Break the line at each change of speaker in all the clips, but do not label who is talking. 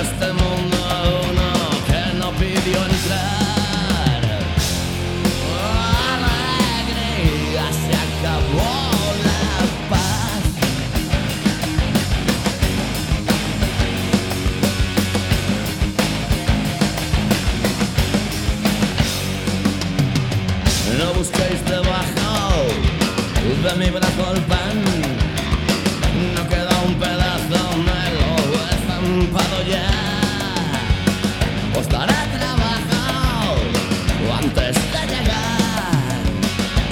este mundo uno que no pidió entrar. Alegría, se acabó la paz. No busquéis debajo de mi brazo el pan. No queda un pedazo, me lo he estampado ya. Os daré trabajo antes de llegar.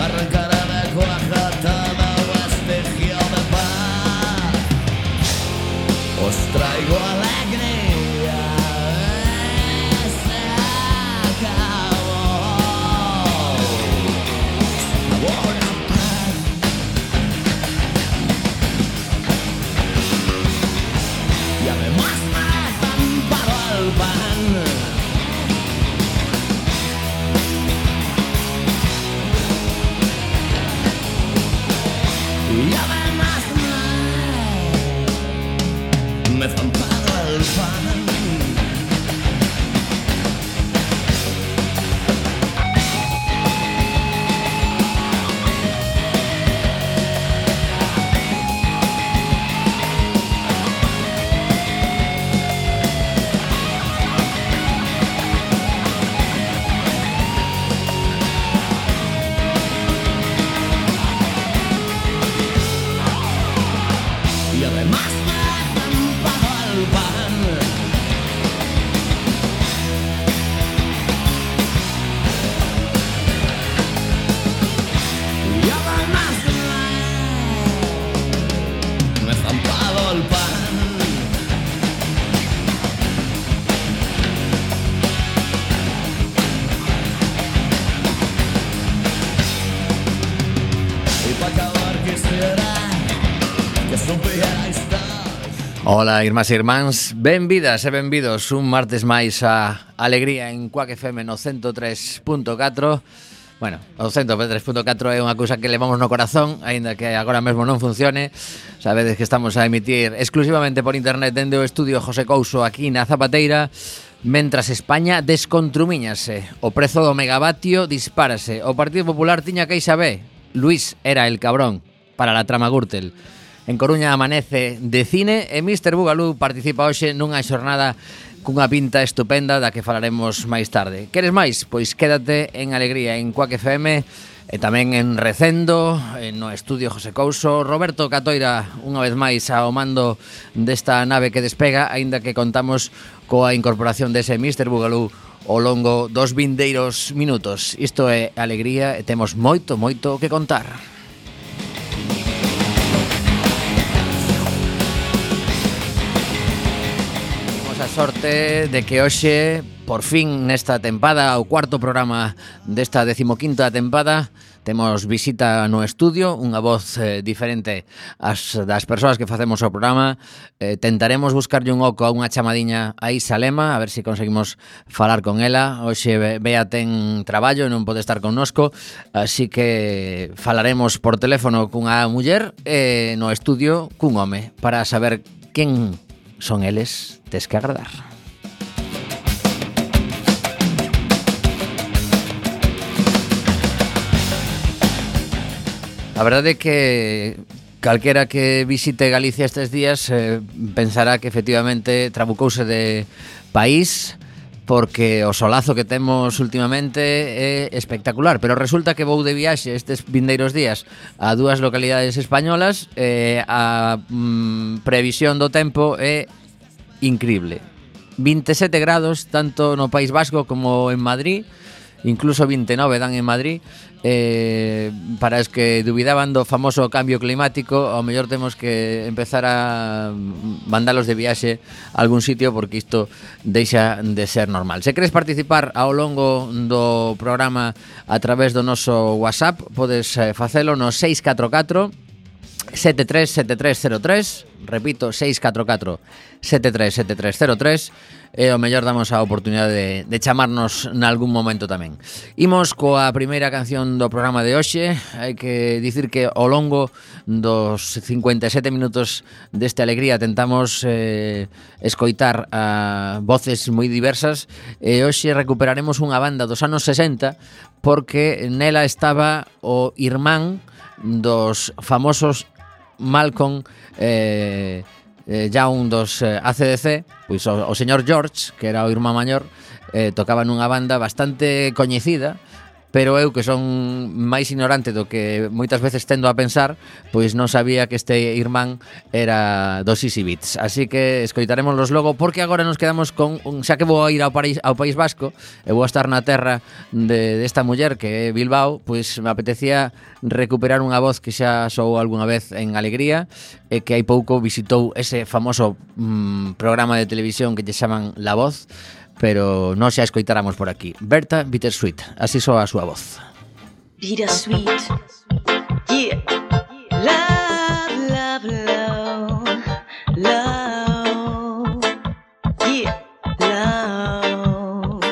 Arrancaré de cuaja todo vestigio de paz. Os traigo alegría. Se acabó. Buena paz. Y además me he estampado el pan. Y además me he estampado el pan. Y además me he estampado el pan. Y además me he estampado el pan. Y para acabar quisiera que supierais todo.
Ola, irmás e irmáns, benvidas e benvidos un martes máis a Alegría en Quack FM no 103.4. Bueno, o 103.4 é unha cousa que levamos no corazón, aínda que agora mesmo non funcione. Sabedes que estamos a emitir exclusivamente por internet dende o estudio José Couso aquí na Zapateira, mentras España descontrumiñase. O prezo do megavatio dispárase. O Partido Popular tiña queixa B. Luis era el cabrón para la trama Gürtel. En Coruña amanece de cine e Mr. Bugalú participa hoxe nunha xornada cunha pinta estupenda da que falaremos máis tarde. Queres máis? Pois quédate en Alegría en Quack FM e tamén en Recendo, no estudio José Couso. Roberto Catoira unha vez máis ao mando desta nave que despega, aínda que contamos coa incorporación dese Mr. Bugalú ao longo dos vindeiros minutos. Isto é Alegría e temos moito, moito que contar. A sorte de que hoxe, por fin nesta tempada, o cuarto programa desta 15ª tempada, temos visita no estudio, unha voz diferente das persoas que facemos o programa. Tentaremos buscarlle un oco a unha chamadiña a Isa Lema, a ver se conseguimos falar con ela. Hoxe Bea ten traballo e non pode estar connosco, así que falaremos por teléfono cunha muller e no estudio cun home para saber quen son eles. Tes que agradar. A verdade é que calquera que visite Galicia estes días pensará que efectivamente trabucouse de país, porque o solazo que temos últimamente é espectacular, pero resulta que vou de viaxe estes vindeiros días a dúas localidades españolas e a previsión do tempo é increíble. 27 grados tanto no País Vasco como en Madrid, incluso 29 dan en Madrid. Para os que dubidaban do famoso cambio climático, ao mellor temos que empezar a mandalos de viaxe a algún sitio, porque isto deixa de ser normal. Se queres participar ao longo do programa a través do noso WhatsApp, podes facelo no 644 737303. repito, 644-737303, e o mellor damos a oportunidade de chamarnos nalgún momento tamén. Imos coa primeira canción do programa de hoxe. Hai que dicir que ao longo dos 57 minutos deste Alegría tentamos escoitar a voces moi diversas, e hoxe recuperaremos unha banda dos anos 60 porque nela estaba o irmán dos famosos Malcolm Young dos AC/DC, pois o señor George, que era o irmán maior, tocaba nunha banda bastante coñecida, pero eu, que son máis ignorante do que moitas veces tendo a pensar, pois non sabía que este irmán era dos Easy Beats. Así que escoitaremoslos logo, porque agora nos quedamos con xa que vou a ir ao País Vasco e vou a estar na terra desta muller que é Bilbao, pois me apetecía recuperar unha voz que xa soou algunha vez en Alegría e que hai pouco visitou ese famoso programa de televisión que lle chaman La Voz, pero non xa escoitáramos por aquí. Berta Bittersweet, así soa a súa voz.
Bittersweet, yeah. Love, love, love, love, yeah. Love,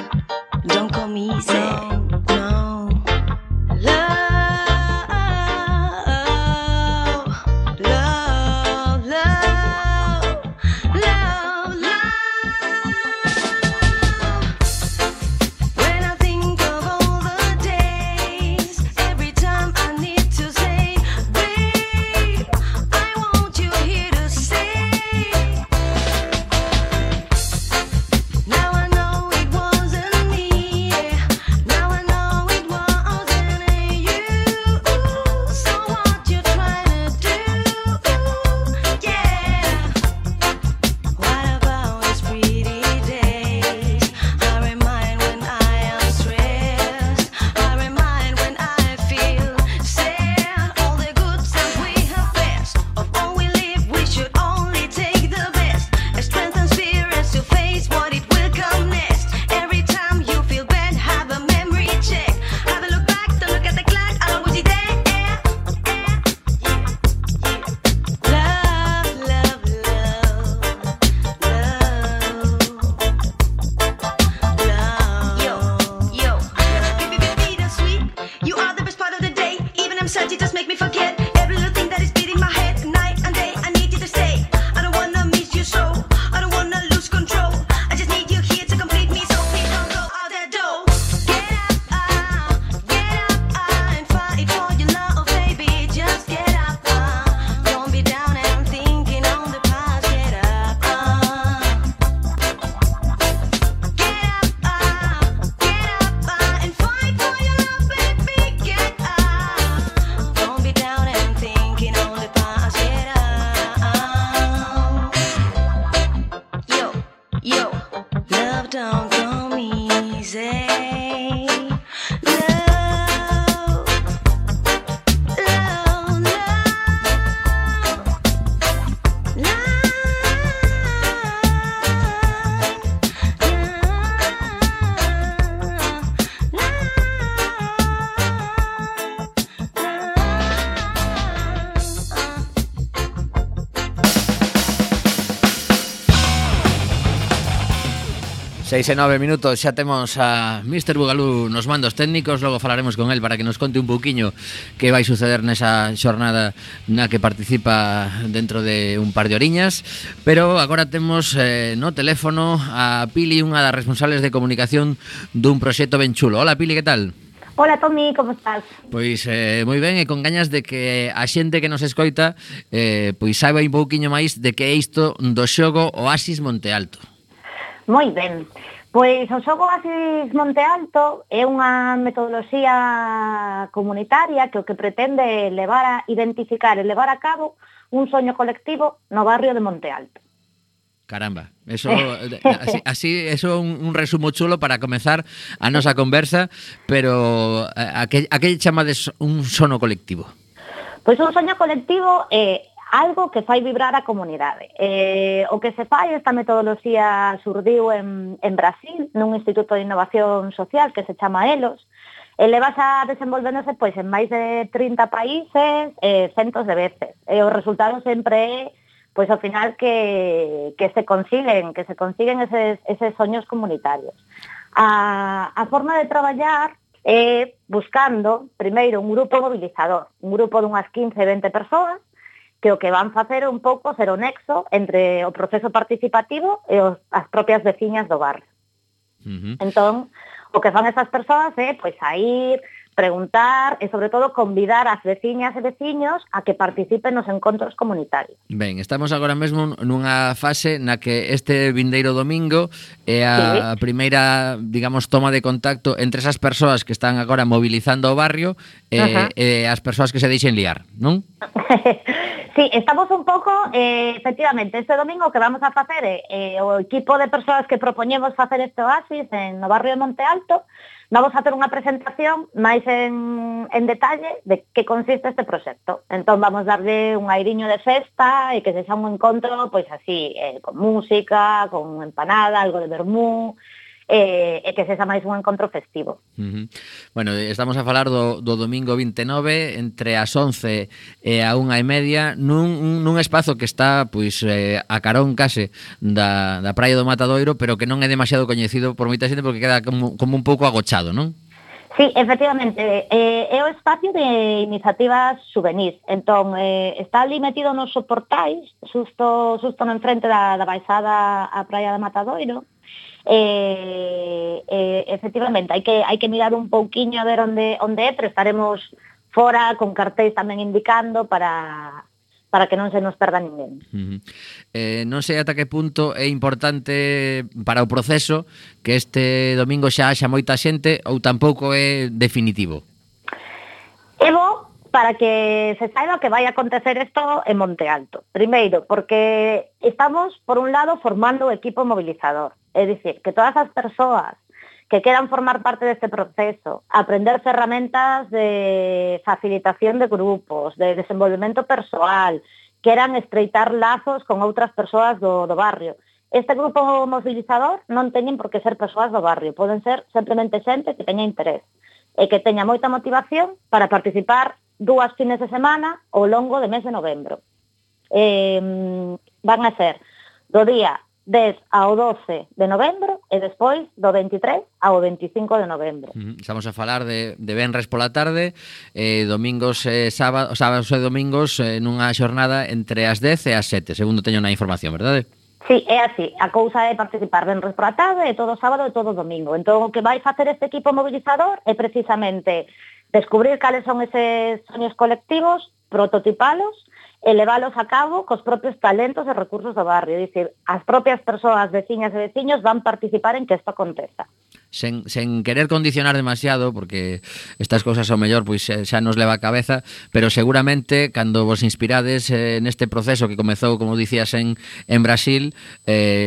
don't call me easy, no. Love, love, love, love, love. When I think of all the days, every time I need to say, babe, I want you here to stay. Now I know it wasn't me, yeah. Now I know it wasn't you. So what you trying to do? Yeah. What about these pretty days? I remind when I am stressed. I remind when I feel sad. All the good stuff we have best. Of all we live, we should only take the best. A strength and spirit to face what it will come next. Every time you feel bad, have a memory check. Have a look back, don't look at the clock. I'll always be there. Love, love, love, love. Yo, bittersweet. You are the best part of the day. Even I'm sad, you just make me forget every little thing that is beating my head night and day. I need you to stay. I don't wanna miss you so. I don't wanna lose control. I just need you here to complete me, so please don't go out that door. Get up, and fight for your love, baby. Just get up, don't be down and thinking on the past. Get up, and fight for your love, baby. Get up, don't be down and thinking on the past. Get up, yo, love don't come easy. Love, love,
Seis e 9 minutos, xa temos a Mr. Bugalú nos mandos técnicos. Logo falaremos con él para que nos conte un pouquiño que vai suceder nesa xornada na que participa dentro de un par de horiñas. Pero agora temos no teléfono a Pili, unha das responsables de comunicación dun proxecto ben chulo. Hola Pili, que tal?
Hola Tommy, como estás?
Pois moi ben, e con gañas de que a xente que nos escoita pois saiba un pouquiño máis de que é isto do xogo Oasis Monte Alto.
Moi ben. Pois o xogo Oasis Monte Alto é unha metodoloxía comunitaria que o que pretende levar a identificar e levar a cabo un soño colectivo no barrio de Monte Alto.
Caramba, eso así eso é un resumo chulo para comezar a nosa conversa, pero a que chamades un sono colectivo?
Pois un soño colectivo é algo que fai vibrar a comunidade. O que se fai, esta metodoloxía surdiu en Brasil, nun Instituto de Innovación Social que se chama ELOS, e levas a desenvolvéndose en máis de 30 países, centos de veces. E o resultado sempre é pois ao final que se consiguen eses soños comunitarios. A forma de traballar é buscando, primeiro, un grupo mobilizador, un grupo dunhas 15, 20 persoas, que o que van facer é un pouco ser o nexo entre o proceso participativo e as propias veciñas do barrio. Entón, o que fan esas persoas é pois a ir, preguntar e, sobre todo, convidar as veciñas e veciños a que participen nos encontros comunitarios.
Ben, estamos agora mesmo nunha fase na que este vindeiro domingo é a primeira, digamos, toma de contacto entre esas persoas que están agora mobilizando o barrio e as persoas que se deixen liar, non?
Sí, estamos un pouco, efectivamente, este domingo que vamos a facer o equipo de persoas que propoñemos facer este oasis no barrio de Monte Alto, vamos a ter unha presentación máis en detalle de que consiste este proxecto. Entón vamos darlle un airiño de festa e que sexa un encontro, pois así, con música, con empanada, algo de vermú, e que sexa máis un encontro festivo.
Bueno, estamos a falar do domingo 29 entre as 11 e a 1:30 nun espazo que está pois a carón case da praia do Matadoiro, pero que non é demasiado coñecido por moita xente porque queda como un pouco agochado, non?
Sí, efectivamente, é o espacio de iniciativas juvenis. Entón, está ali metido nos soportais, xusto no enfrente da baixada á praia de Matadoiro. Efectivamente, hai que mirar un pouquiño a ver onde é, pero estaremos fora con cartéis tamén indicando para que non se nos perda ninguén.
Non sei ata que punto é importante para o proceso que este domingo xa haxa moita xente ou tampouco é definitivo.
É bo para que se saiba que vai acontecer isto en Monte Alto. Primeiro, porque estamos, por un lado, formando o equipo mobilizador. É dicir, que todas as persoas que queran formar parte deste proceso, aprender ferramentas de facilitación de grupos, de desenvolvemento persoal, queran estreitar lazos con outras persoas do barrio. Este grupo mobilizador non teñen por que ser persoas do barrio, poden ser simplemente xente que teña interés e que teña moita motivación para participar 2 fines de semana ao longo do mes de novembro. Van a ser do día 10 ao 12 de novembro e despois do 23 ao 25 de novembro.
Estamos a falar de venres pola tarde, domingos e sábados e domingos nunha xornada entre as 10 e as 7, segundo teño na información, verdade?
Sí, é así. A cousa é participar venres pola tarde e todo sábado e todo domingo. Entón, o que vai facer este equipo mobilizador é precisamente descubrir cales son eses soños colectivos, prototipalos e leválos a cabo cos propios talentos e recursos do barrio. É dicir, as propias persoas, veciñas e veciños van participar en que isto aconteza.
Sen querer condicionar demasiado, porque estas cousas ao mellor pois xa nos leva a cabeza, pero seguramente cando vos inspirades neste proceso que comezou, como dicías, en Brasil,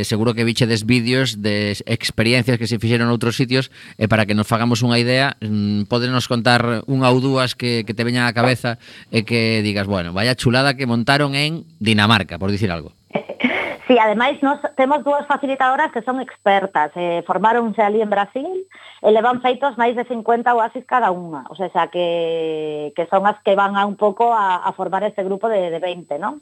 seguro que vichedes vídeos de experiencias que se fixeron en outros sitios, e para que nos fagamos unha idea, pódenos contar unha ou dúas que te veñan á cabeza e que digas, bueno, vaya chulada que montaron en Dinamarca, por dicir algo.
Sí, ademais, nos temos 2 facilitadoras que son expertas, formáronse ali en Brasil e levan feitos máis de 50 oasis cada unha, o sea, que son as que van a un pouco a formar este grupo de 20, non?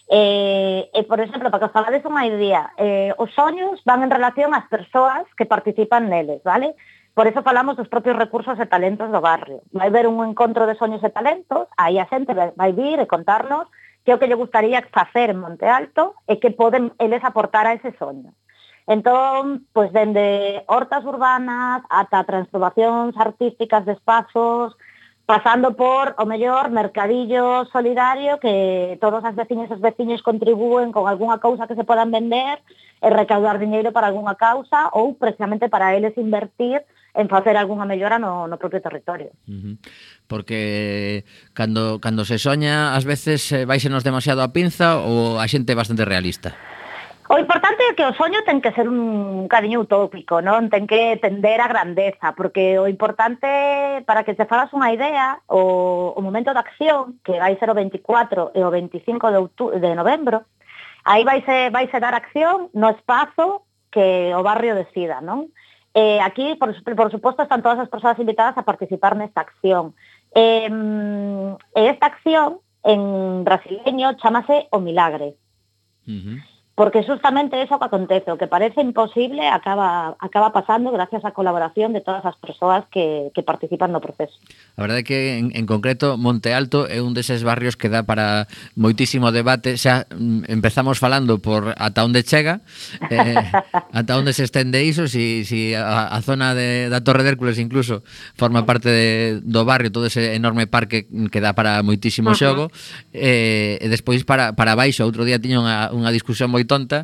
Por exemplo, para que os falades unha idea, os soños van en relación ás persoas que participan neles, vale? Por eso falamos dos propios recursos e talentos do barrio. Vai haber un encontro de soños e talentos, aí a xente vai vir e contarnos que é o que lle gustaría facer en Monte Alto e que poden eles aportar a ese soño. Entón, pois, dende hortas urbanas ata transformacións artísticas de espazos, pasando por, o mellor, mercadillo solidario que todos as veciñas e os veciños contribúen con algunha cousa que se podan vender e recaudar diñeiro para algunha causa ou precisamente para eles invertir en facer algunha mellora no propio territorio.
Porque cando se soña, ás veces váisenos demasiado a pinza ou a xente é bastante realista?
O importante é que o soño ten que ser un cariño utópico, non? Ten que tender a grandeza, porque o importante, para que te fagas unha idea, o momento de acción, que vai ser o 24 e o 25 de novembro, aí vaise dar acción no espazo que o barrio decida, non? Aquí, por suposto, están todas as persoas invitadas a participar nesta acción. Esta acción, en brasileño, chamase o milagre. Porque justamente eso que acontece, o que parece imposible acaba pasando gracias á colaboración de todas as persoas que participan no proceso.
A verdade é que en concreto Monte Alto é un deses barrios que dá para moitísimo debate. Xa empezamos falando por ata onde chega, ata onde se estende iso, si a zona da Torre de Hércules incluso forma parte do barrio, todo ese enorme parque que dá para moitísimo xogo, e despois para baixo. Outro día tiña unha discusión moi tonta,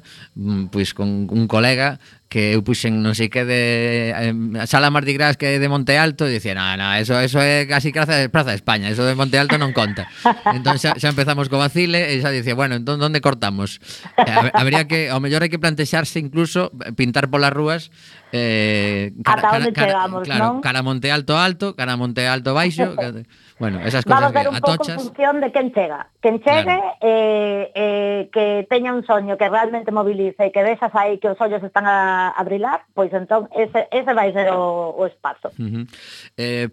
pois con un colega que eu puxen non sei que de Sala Mardi Gras que é de Monte Alto e dicía, eso é casi Praza de España, eso de Monte Alto non conta. Entón xa empezamos co vacile e xa dicía, bueno, entón onde cortamos? Habría que, ao mellor hai que plantexarse incluso pintar polas rúas
ata onde chegamos,
claro,
non?
cara Monte Alto alto, cara Monte Alto baixo, bueno, esas cosas
vamos ver un pouco en función de quen chega. Quen chegue, claro. Que teña un soño que realmente movilice e que vexas aí que os ollos están a brilar, pois entón ese vai ser o espazo.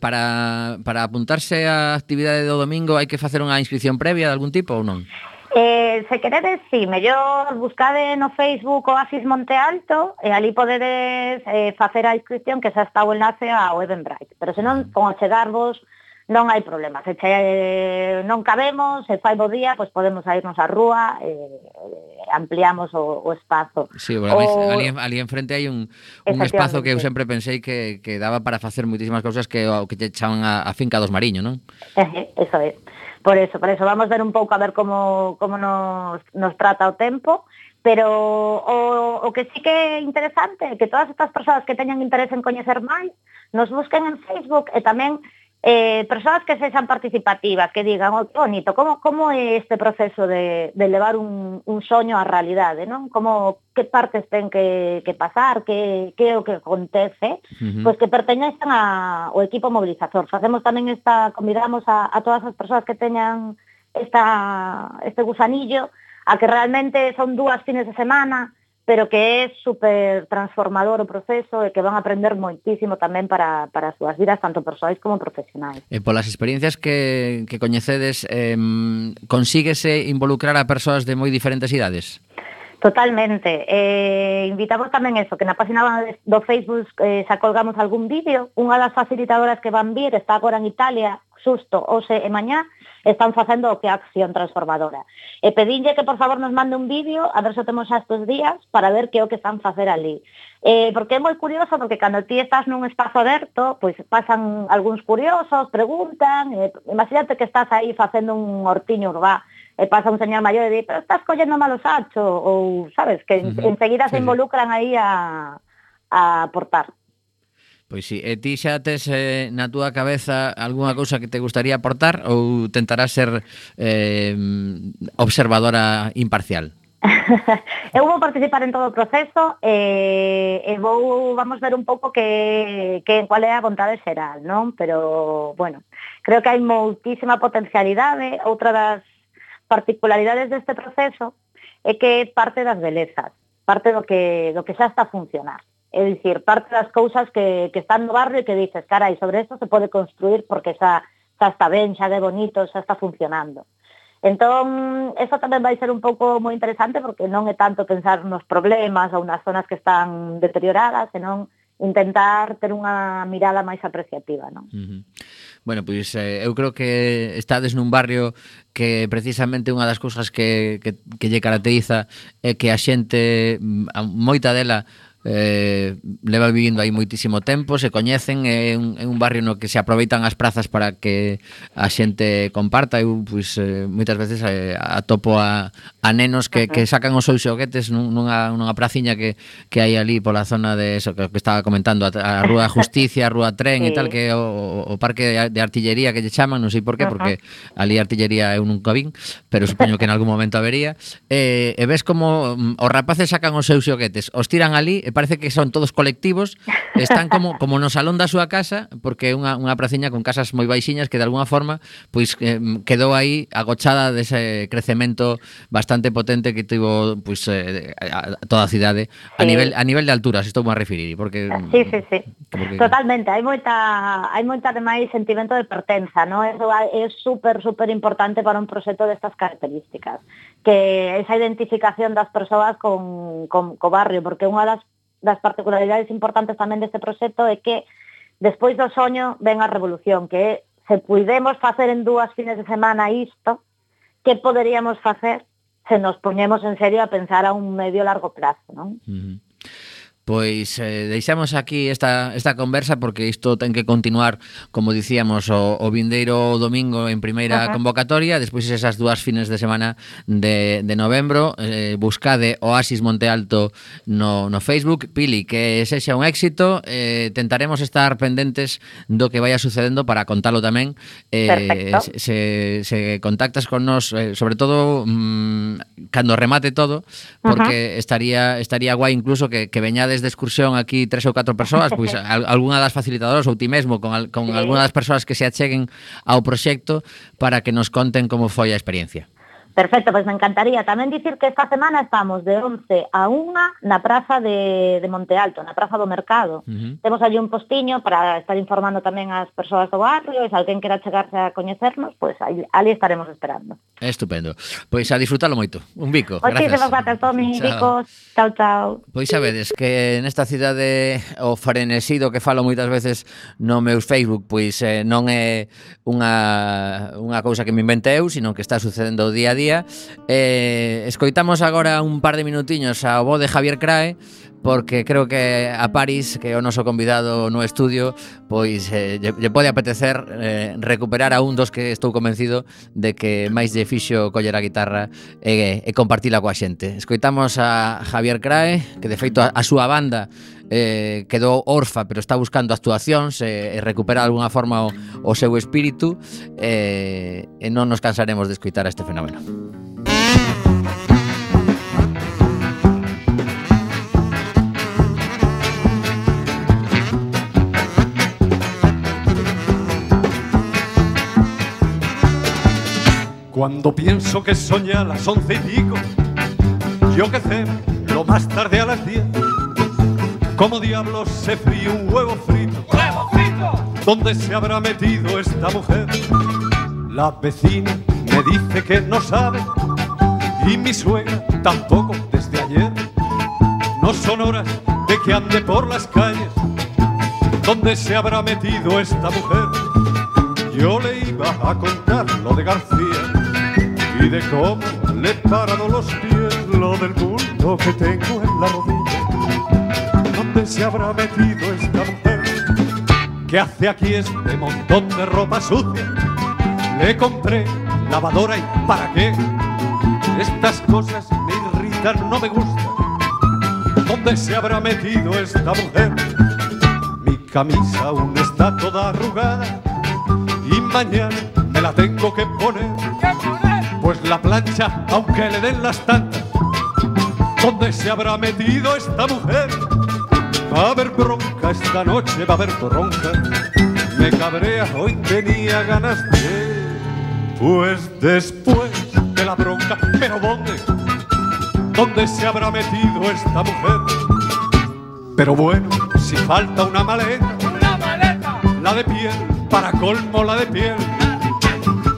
Para apuntarse á actividade do domingo hai que facer unha inscripción previa de algún tipo ou non?
Se queredes, sí, mellor buscade no Facebook Oasis Monte Alto e ali podedes facer a inscripción que xa está o enlace ao Eventbrite. Pero senón, con achegarvos non hai problema. Se non cabemos, se fai bo día, pois podemos irnos á rúa e ampliamos o espazo.
Sí, bueno, ali enfrente hai un espazo que eu sempre pensei que daba para facer moitísimas cousas que te chaman a finca dos Mariño, non?
Eso é. Por eso, vamos ver un pouco a ver como nos trata o tempo, pero o que sí que é interesante é que todas estas persoas que teñan interés en coñecer máis nos busquen en Facebook e tamén persoas que sexan participativas, que digan, que bonito, como é este proceso de levar un soño á realidade, non? Que partes ten que pasar, que é o que acontece, pois que perteñezan ao equipo mobilizador. Facemos tamén convidamos a todas as persoas que teñan este gusanillo a que realmente son 2 fines de semana, pero que é super transformador o proceso e que van a aprender moitísimo tamén para as súas vidas, tanto persoais como profesionais.
E polas experiencias que coñecedes, consíguese involucrar a persoas de moi diferentes idades?
Totalmente. Invitamos tamén eso, que na página do Facebook xa colgamos algún vídeo. Unha das facilitadoras que van vir está agora en Italia, xusto hoxe e mañá, están facendo o que é acción transformadora. E pedinlle que, por favor, nos mande un vídeo, a ver se o temos xa estes días, para ver que é o que están facer ali. Porque é moi curioso, porque cando ti estás nun espazo aberto, pois pasan algúns curiosos, preguntan, imagínate que estás aí facendo un hortiño urbá, e pasa un señor maior e di, pero estás collendo malo sacho, ou, sabes, que enseguida se involucran aí a aportar.
Pois si, e ti xa tes na túa cabeza algunha cousa que te gustaría aportar ou tentarás ser observadora imparcial?
Eu vou participar en todo o proceso e vamos ver un pouco cual é a vontade xeral, non? Pero, bueno, creo que hai moitísima potencialidade. Outra das particularidades deste proceso é que parte das belezas, parte do que xa está a funcionar. É dicir, parte das cousas que están no barrio e que dices, carai, sobre isto se pode construir porque xa está ben, xa é bonito, xa está funcionando. Entón, eso tamén vai ser un pouco moi interesante porque non é tanto pensar nos problemas ou nas zonas que están deterioradas, senón intentar ter unha mirada máis apreciativa, non?
Bueno, pois eu creo que estades nun barrio que precisamente unha das cousas que lle caracteriza é que a xente, moita dela, leva vivindo aí moitísimo tempo, se coñecen, é un barrio no que se aproveitan as prazas para que a xente comparta. Eu, pois, moitas veces atopo a nenos que sacan os seus xoguetes nunha praciña que hai ali pola zona de eso que estaba comentando, a Rúa Justicia, a Rúa Tren e tal, que é o parque de artillería que lle chaman, non sei por qué, porque ali artillería eu nunca vin, pero supoño que en algún momento habería, e ves como os rapaces sacan os seus xoguetes, os tiran ali, e parece que son todos colectivos, están como no salón da súa casa, porque é unha praciña con casas moi baixiñas que de alguna forma pois quedou aí agochada dese crecemento bastante potente que tivo pois toda a cidade a nivel de alturas, estou a referir, porque
sí. Porque... Totalmente, hai moita demais sentimento de pertenza, ¿no? Eso é super importante para un proxecto destas características. que esa identificación das persoas co barrio, porque unha das particularidades importantes tamén deste proxecto é que despois do soño ven a revolución, que é, se puidemos facer en 2 fines de semana isto, que poderíamos facer se nos poñemos en serio a pensar a un medio largo plazo, non?
Pois deixamos aquí esta conversa porque isto ten que continuar, como dicíamos, o vindeiro domingo en primeira convocatoria, despois esas 2 fines de semana de novembro. Buscade Oasis Monte Alto no Facebook. Pili, que sexa un éxito, tentaremos estar pendentes do que vaya sucedendo para contalo tamén. Se contactas con nos, sobre todo cando remate todo, porque estaría guai incluso que veñades de excursión aquí 3 ou 4 persoas, pois algunha das facilitadoras ou ti mesmo con algunha das persoas que se acheguen ao proxecto para que nos conten como foi a experiencia.
Perfecto, pois me encantaría tamén dicir que esta semana estamos de 11 a 1 na praza de Monte Alto, na praza do Mercado. Temos allí un postiño para estar informando tamén as persoas do barrio, e se alguén quera chegarse a coñecernos, pois ali estaremos esperando.
Estupendo. Pois a disfrutalo moito. Un bico.
Moitísimas gracias, Tomi. Bicos. Chao, chao.
Pois sabedes que nesta cidade o frenesido que falo moitas veces no meu Facebook, pois non é unha cousa que me invente eu, sino que está sucedendo día a día. Escoitamos agora un par de minutiños ao bo de Javier Crae, porque creo que a Paris, que é o noso convidado no estudio, pois lle pode apetecer recuperar a un dos que estou convencido de que máis lle fixo coller a guitarra e compartila coa xente. Escoitamos a Javier Crae, que de feito a súa banda quedou orfa, pero está buscando actuacións e recupera de alguna forma o seu espírito, e non nos cansaremos de escoitar a este fenómeno.
Cuando pienso que soñé a las 11 y pico, yo que sé, lo más tarde a las 10, ¿cómo diablos se fríe un huevo frito? ¡Huevo frito! ¿Dónde se habrá metido esta mujer? La vecina me dice que no sabe, y mi suegra tampoco desde ayer. No son horas de que ande por las calles. ¿Dónde se habrá metido esta mujer? Yo le iba a contar lo de García y de cómo le he parado los pies, lo del bulto que tengo en la rodilla. ¿Dónde se habrá metido esta mujer? ¿Qué hace aquí este montón de ropa sucia? Le compré lavadora y ¿para qué? Estas cosas me irritan, no me gustan. ¿Dónde se habrá metido esta mujer? Mi camisa aún está toda arrugada y mañana me la tengo que poner. Pues la plancha, aunque le den las tantas. ¿Dónde se habrá metido esta mujer? Va a haber bronca esta noche, va a haber torronca. Me cabrea, hoy tenía ganas de... Pues después de la bronca, ¿pero dónde? ¿Dónde se habrá metido esta mujer? Pero bueno, si falta una maleta, la de piel, para colmo la de piel.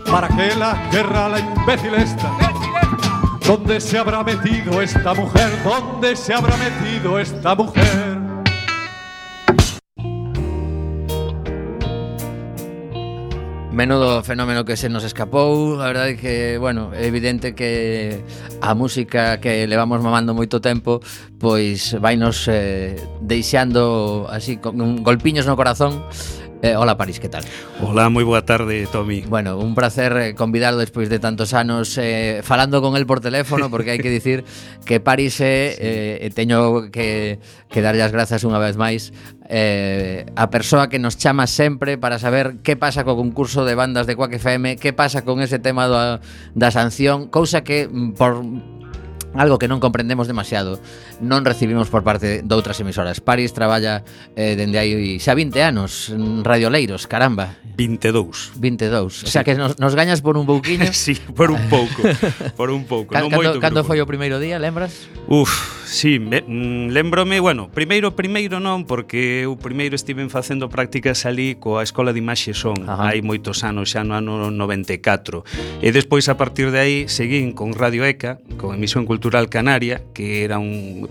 ¿Para qué la querrá la imbécil esta? ¿Dónde se habrá metido esta mujer? ¿Dónde se habrá metido esta mujer?
Menudo fenómeno que se nos escapou. A verdade é que, bueno, é evidente que a música que levamos mamando moito tempo pois vainos deixando así con golpiños no corazón. Hola Paris, que tal?
Hola, moi boa tarde, Tomi.
Bueno, un placer convidarlo despois de tantos anos falando con el por teléfono, porque hai que dicir que Paris teño que darlle as grazas unha vez máis a persoa que nos chama sempre para saber que pasa co concurso de bandas de Quack FM, que pasa con ese tema da sanción, cousa que por algo que non comprendemos demasiado non recibimos por parte de outras emisoras. Paris traballa dende aí xa 20 anos en Radioleiros, caramba.
22.
O sea que nos gañas por un pouquiño.
Sí, por un pouco. Por un pouco.
Cando foi o primeiro día, lembras?
Uf, Sí, lembrome, bueno, primeiro non, porque eu primeiro estiven facendo prácticas ali coa Escola de Imaxe e Son, hai moitos anos, xa no ano 94. E despois, a partir de aí, seguín con Radio ECA, con Emisión Cultural Canaria, que era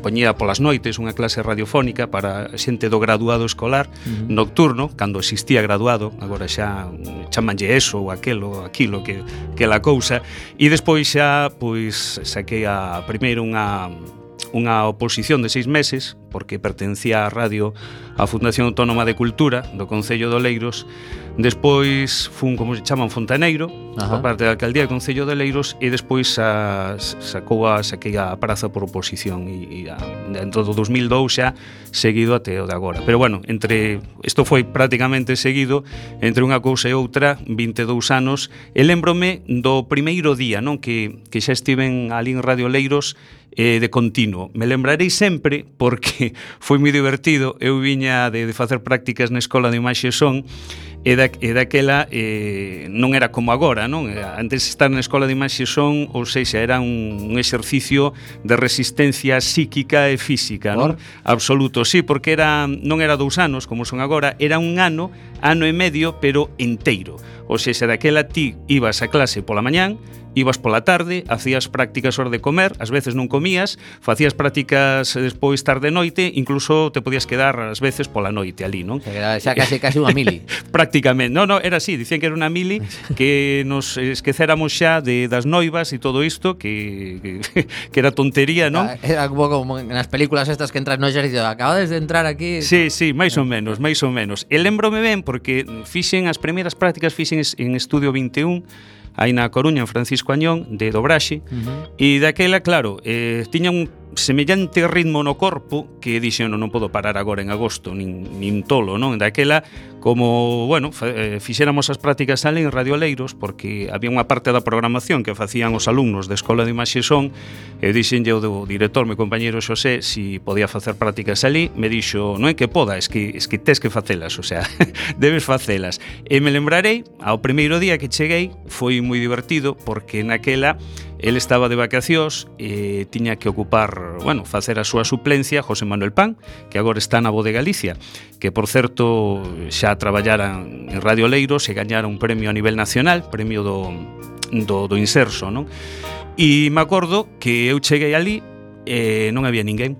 poñía polas noites unha clase radiofónica para xente do graduado escolar, nocturno, cando existía graduado, agora xa chamanlle eso ou aquilo que la cousa, e despois xa, pois, saquei primeiro unha oposición de 6 meses, porque pertencía á radio á Fundación Autónoma de Cultura do Concello de Oleiros. Despois fun, como se chaman, fontaneiro, por parte da alcaldía do Concello de Oleiros, e despois saquei a praza por oposición, e dentro do 2002 xa seguido até o de agora. Pero bueno, isto foi prácticamente seguido, entre unha cousa e outra, 22 anos, e lembrome do primeiro día, non, que xa estiven ali en Radio Oleiros, de continuo. Me lembrarei sempre porque foi moi divertido. Eu viña de facer prácticas na Escola de Imaxe e Son, e daquela non era como agora, non? Antes de estar na Escola de Imaxe e Son, ou seja, era un exercicio de resistencia psíquica e física, non? Absoluto, sí, porque non era 2 anos como son agora, era un ano e medio, pero enteiro. Ou seja, daquela ti ibas a clase pola mañán, ibas pola tarde, hacías prácticas hora de comer, ás veces non comías, facías prácticas despois tarde noite, incluso te podías quedar ás veces pola noite ali, non?
Xa casi unha mili.
Prácticamente, non, era así, dicían que era unha mili, que nos esquecéramos xa das noivas e todo isto, que era tontería, non?
Era un pouco como nas películas estas que entras no exército, acabades de entrar aquí.
Sí, máis ou menos. E lembrome ben, porque as primeiras prácticas fixen en Estudio 21, aí na Coruña, en Francisco Añón, de dobraxe, e daquela, claro, tiña un semellante ritmo no corpo que dixen, non podo parar agora en agosto, nin tolo, non? Daquela, como, bueno, fixéramos as prácticas ali en Radio Oleiros, porque había unha parte da programación que facían os alumnos da Escola de Imaxe e Son, e dixenlle o do director, meu compañeiro Xosé, si podía facer prácticas ali, me dixo, non é que poda, es que tes que facelas, o sea, debes facelas. E me lembrarei, ao primeiro día que cheguei, foi moi divertido, porque naquela el estaba de vacacións e tiña que ocupar, bueno, facer a súa suplencia José Manuel Pan, que agora está na Voz de Galicia, que por certo xa traballara en Radio Oleiros e gañara un premio a nivel nacional, premio do Inserso, non? E me acordo que eu cheguei ali e non había ninguén.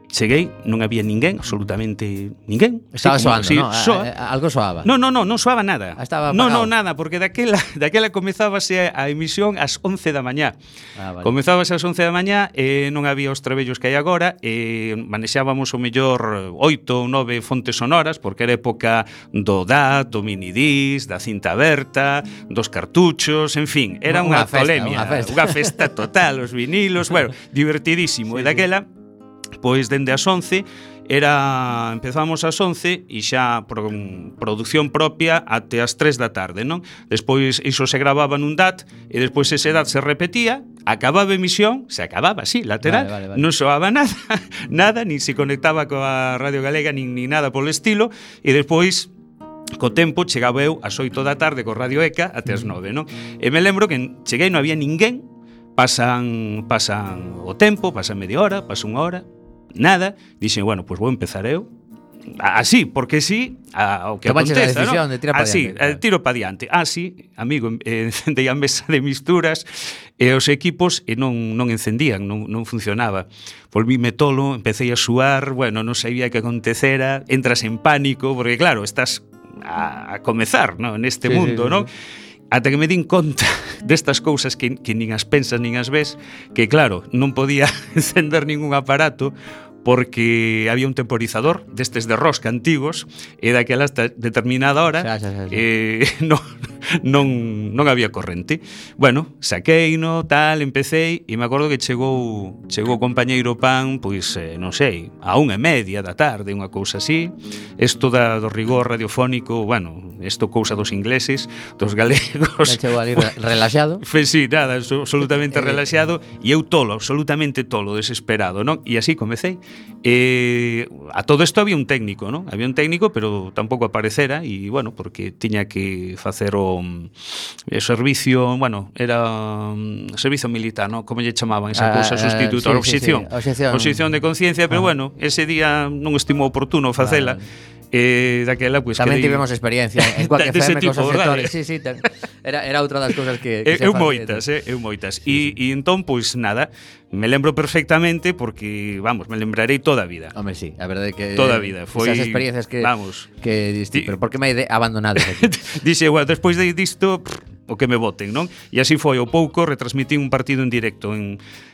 Cheguei, non había ninguén, absolutamente ninguén.
Estaba soando, non? Algo soaba.
Non soaba nada.
Estaba apagado.
Non, nada, porque daquela comezábase a emisión ás 11 da mañá.
Vale.
Comezábase ás 11 da mañá e non había os trebellos que hai agora, e manexábamos o mellor 8 ou 9 fontes sonoras, porque era época do DAT, do minidisc, da cinta aberta, dos cartuchos, en fin, era unha tolemia, unha festa total, os vinilos, bueno, divertidísimo. Sí, e daquela, pois dende as 11 empezamos ás 11 e xa produción propia até as 3 da tarde, non? Despois iso se gravaba nun DAT e despois ese DAT se repetía, acababa a emisión, se acababa así, lateral, vale. Non soaba nada, nin se conectaba coa Radio Galega nin nada polo estilo, e despois co tempo chegaba eu ás 8 da tarde co Radio ECA até as 9, non? E me lembro que cheguei, non había ninguén, pasan o tempo, pasa media hora, pasa unha hora, nada, dixen, bueno, pois vou empezar eu así, porque sí, o que aconteza,
¿no? De tirar
así, tiro pa diante. Así, amigo, encendei a mesa de misturas e os equipos non encendían, non funcionaba. Volvíme tolo, empecé a suar, bueno, non sabía que acontecera, entras en pánico, porque claro, estás a comezar, ¿no? Neste mundo, ¿no? Ata que me din conta destas cousas que nin as pensas nin as ves, que claro, non podía encender ningún aparato porque había un temporizador destes de rosca antigos e daquela hasta determinada hora non había corrente. Bueno, saqueino, tal, empecéi e me acordo que chegou o compañeiro Pan, pois, non sei, a 1:30 da tarde, unha cousa así. Isto do rigor radiofónico, bueno, isto cousa dos ingleses, dos galegos.
Chegou ali relaxado.
Sí, nada, absolutamente relaxado, e eu absolutamente tolo, desesperado, non? E así comecei. A todo isto había un técnico, non? Había un técnico, pero tampouco aparecera, e, bueno, porque tiña que facer o servicio, bueno, era servicio militar, ¿no? Como lle chamaban esa cousa sustituto, oposición. Oposición de conciencia, pero bueno, ese día non estimou oportuno facela. Daquela, pues,
tamén tivemos experiencia en Quack FM cos sectores. Sí, era outra das cousas que
eu moitas. E entón, pois nada, me lembro perfectamente porque, vamos, me lembrarei toda a vida.
Home, sí, a verdade que
toda a vida foi
esas experiencias que
vamos,
que diste, pero por que me hai abandonado aquí?
Dixe, bueno, despois disto o que me voten, non? E así foi, ao pouco retransmitín un partido en directo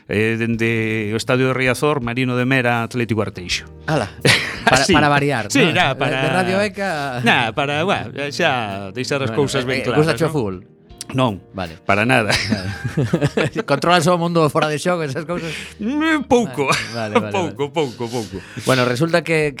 dende o Estadio de Riazor, Marino de Mera, Atlético Arteixo.
Ala. Para variar,
sí,
¿no?
para
de Radio ECA.
Para, bueno, xa deixar as cousas ben claras.
Gusta o fútbol?
Non,
vale.
Para nada.
Controlas o mundo fora de xogo, esas cousas?
Pouco.
Vale.
Pouco.
Bueno, resulta que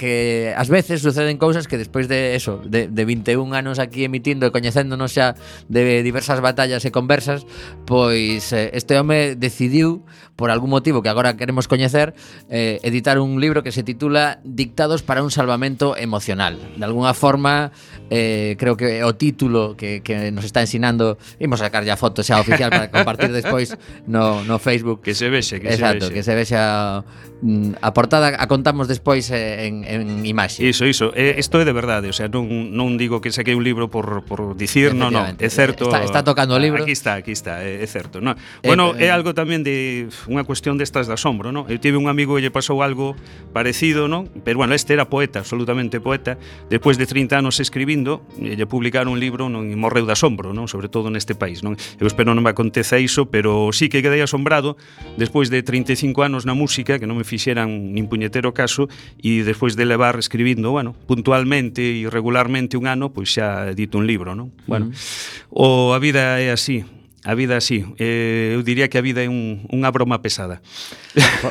ás veces suceden cousas que despois de eso, de 21 anos aquí emitindo e coñecéndonos xa de diversas batallas e conversas, pois este home decidiu, por algún motivo que agora queremos coñecer, editar un libro que se titula Dictados para un salvamento emocional. De alguna forma, creo que o título que nos está ensinando, imos sacar ya foto xa oficial para compartir despois no Facebook.
Que se vexe,
Exacto, que se vexa a portada, a contamos despois en imaxe.
Iso. Isto é de verdade, o sea, non digo que saquei un libro por dicir, non, é certo.
Está tocando o libro.
Aquí está, é certo, no. Bueno, é algo tamén de unha cuestión destas de asombro, no? Eu tive un amigo que lle pasou algo parecido, no? Pero bueno, este era poeta, absolutamente poeta. Despois de 30 anos escribindo, lle publicaron un libro, non, e morreu de asombro, non? Sobre todo neste país, non? Eu espero non me aconteza iso, pero sí que quedei asombrado despois de 35 anos na música, que non me fixeran nin puñetero caso, e despois de levar escribindo, bueno, puntualmente e regularmente un ano, pois xa edito un libro, non? Bueno, a vida é así. A vida así, eu diría que a vida é unha broma pesada.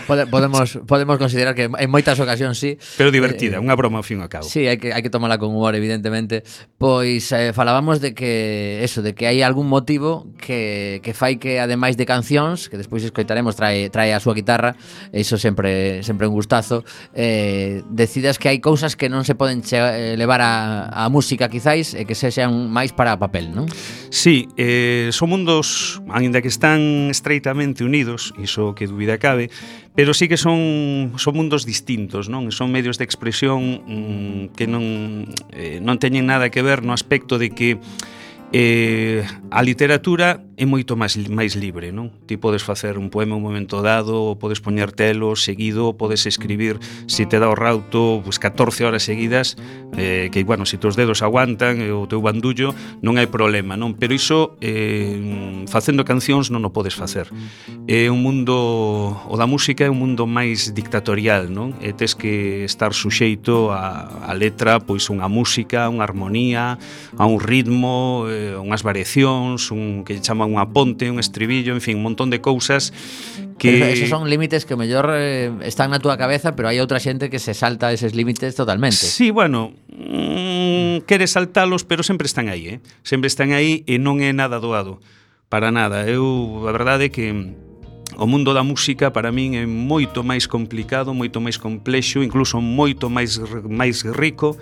Podemos considerar que en moitas ocasións sí,
pero divertida, unha broma ao fin e ao cabo.
Sí, hai que tomala con humor, evidentemente. Pois falábamos de que hai algún motivo que fai que, ademais de cancións, que despois escoitaremos, trae a súa guitarra, iso sempre un gustazo, decidas que hai cousas que non se poden levar a música quizais e que sexan máis para papel, non?
Sí, son mundos, aínda que están estreitamente unidos, iso que dúbida cabe, pero sí que son mundos distintos, non? Son medios de expresión que non teñen nada que ver no aspecto de que a literatura é moito máis libre, non? Ti podes facer un poema un momento dado, ou podes poñer telo seguido, ou podes escribir, se te dá o rauto, pues 14 horas seguidas, que, bueno, se teus dedos aguantan, o teu bandullo, non hai problema, non? Pero iso, facendo cancións non o podes facer. É un mundo, o da música é un mundo máis dictatorial, non? E tes que estar suxeito a letra, pois unha música, unha armonía, a un ritmo, unhas variacións, que chama unha ponte, un estribillo, en fin, un montón de cousas que...
Esos son límites que mellor están na túa cabeza, pero hai outra xente que se salta eses límites totalmente.
Sí, bueno, quere saltalos, pero sempre están aí, sempre están aí e non é nada doado, para nada. A verdade é que o mundo da música para min é moito máis complicado, moito máis complexo, incluso moito máis rico,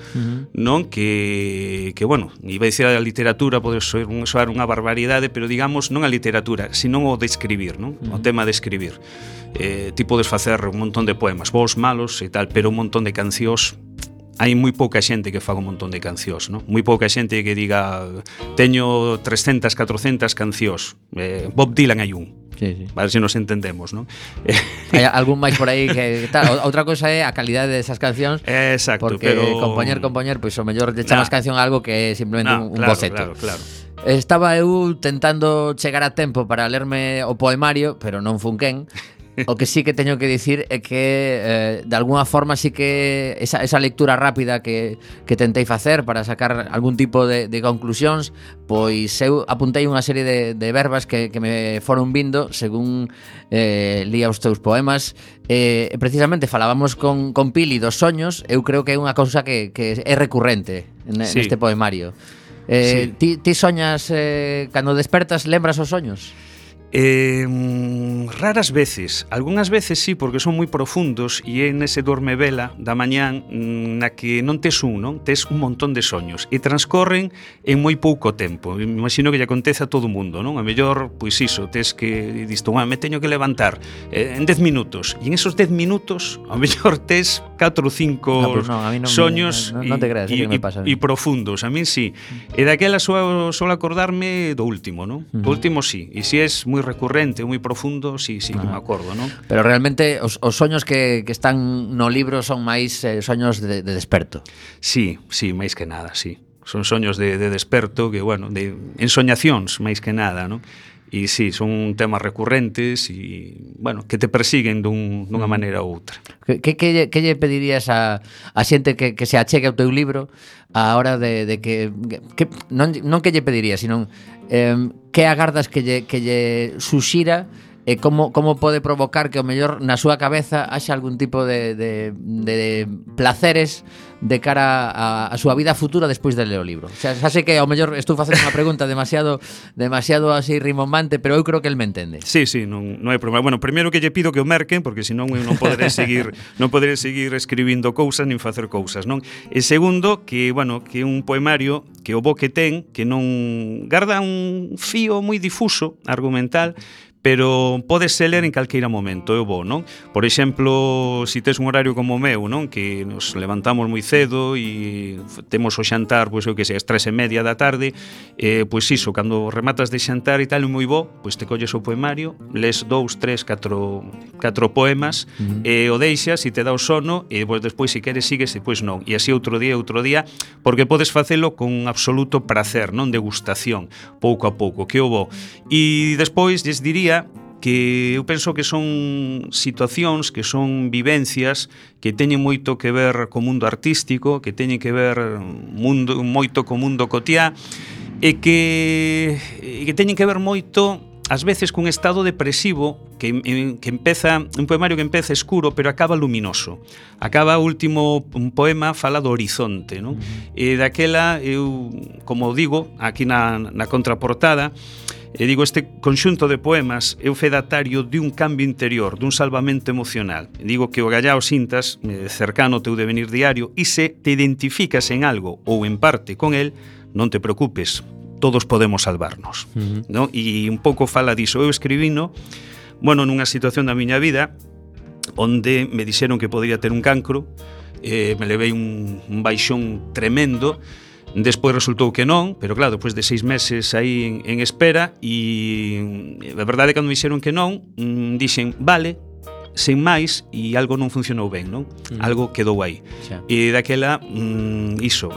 non? Que bueno, iba a dicir a literatura pode soar unha barbaridade, pero digamos non a literatura, sino o de escribir, non? O tema de escribir. Ti podes facer un montón de poemas, bons, malos e tal, pero un montón de cancións. Hai moi pouca xente que faga un montón de cancións, non? Moi pouca xente que diga teño 300, 400 cancións. Bob Dylan hai un.
Sí.
A ver se nos entendemos, non?
Hai algún máis por aí que tal. Outra cousa é a calidade desas cancións.
Exacto,
porque
pero
compoñer, pois o mellor lle chamas canción a algo que é simplemente un boceto.
Claro.
Estaba eu tentando chegar a tempo para lerme o poemario, pero non fun quen. O que sí que teño que dicir é que de alguna forma sí que esa lectura rápida que tentei facer para sacar algún tipo de conclusións, pois eu apuntei unha serie de verbas que me foron vindo según lía os teus poemas. Precisamente falábamos con Pili dos soños. Eu creo que é unha cousa que é recurrente neste poemario. Ti soñas cando despertas, lembras os soños?
Raras veces, algunhas veces sí, porque son moi profundos e é nese dormevela da mañán na que non tes tes un montón de soños e transcorren en moi pouco tempo. Me imagino que lle acontece a todo o mundo, non? A mellor, pois iso, tes que disto, me teño que levantar en 10 minutos e en esos 10 minutos a mellor tes 4 ou 5 soños e profundos. A min sí. E daquela solo acordarme do último, non? Do último sí. E se es moi recurrente, moi profundo, sí que me acordo, non?
Pero realmente os soños que están no libro son máis soños de desperto.
Sí, máis que nada, sí. Son soños de desperto que, bueno, de ensoñacións máis que nada, non? E sí, son temas recurrentes e, bueno, que te persiguen dunha maneira ou outra.
Que lle pedirías a xente que se achegue ao teu libro a hora de que non que lle pedirías, sino que agardas que lle suxira e como pode provocar que o mellor na súa cabeza haxa algún tipo de placeres de cara a súa vida futura despois de ler o libro. O sea, xa sei que ao mellor estou facendo unha pregunta demasiado así rimbombante, pero eu creo que el me entende.
Sí, non hai problema. Bueno, primeiro que lle pido que o merquen, porque senón eu non poderé seguir escribindo cousas nin facer cousas, non? E segundo, que, bueno, que un poemario que o bo que ten, que non garda un fío moi difuso argumental, pero pódese ler en calqueira momento, é o bo, non? Por exemplo, se tes un horario como o meu, non? Que nos levantamos moi cedo e temos o xantar, pois eu que sei, as 3:30 da tarde, pois iso, cando rematas de xantar e tal, é moi bo, pois te colles o poemario, les 2, 3, 4 poemas, e o deixas e te dá o sono, e pois despois, se queres, sigues, e pois non. E así outro día, porque podes facelo con absoluto prazer, non? Degustación, pouco a pouco, que o bo. E despois, lles diría que eu penso que son situacións, que son vivencias que teñen moito que ver co mundo artístico, que teñen que ver moito co mundo cotiá e que teñen que ver moito ás veces cun estado depresivo que empeza, un poemario que empeza escuro pero acaba luminoso. Acaba o último poema fala do horizonte, non? E daquela eu, como digo, aquí na contraportada, e digo, este conxunto de poemas é o fedatario de un cambio interior, dun salvamento emocional. E digo que o gallao sintas cercano ao teu devenir diario e se te identificas en algo ou en parte con el, non te preocupes, todos podemos salvarnos. ¿No? E un pouco fala diso. Eu escribino, bueno, nunha situación da miña vida onde me dixeron que podría ter un cancro, me levei un baixón tremendo. Despois resultou que non, pero claro, despois de 6 meses aí en espera, e a verdade é que cando me dixeron que non, dixen, vale, sen máis, e algo non funcionou ben, non? Algo quedou aí. Xa. E daquela, iso,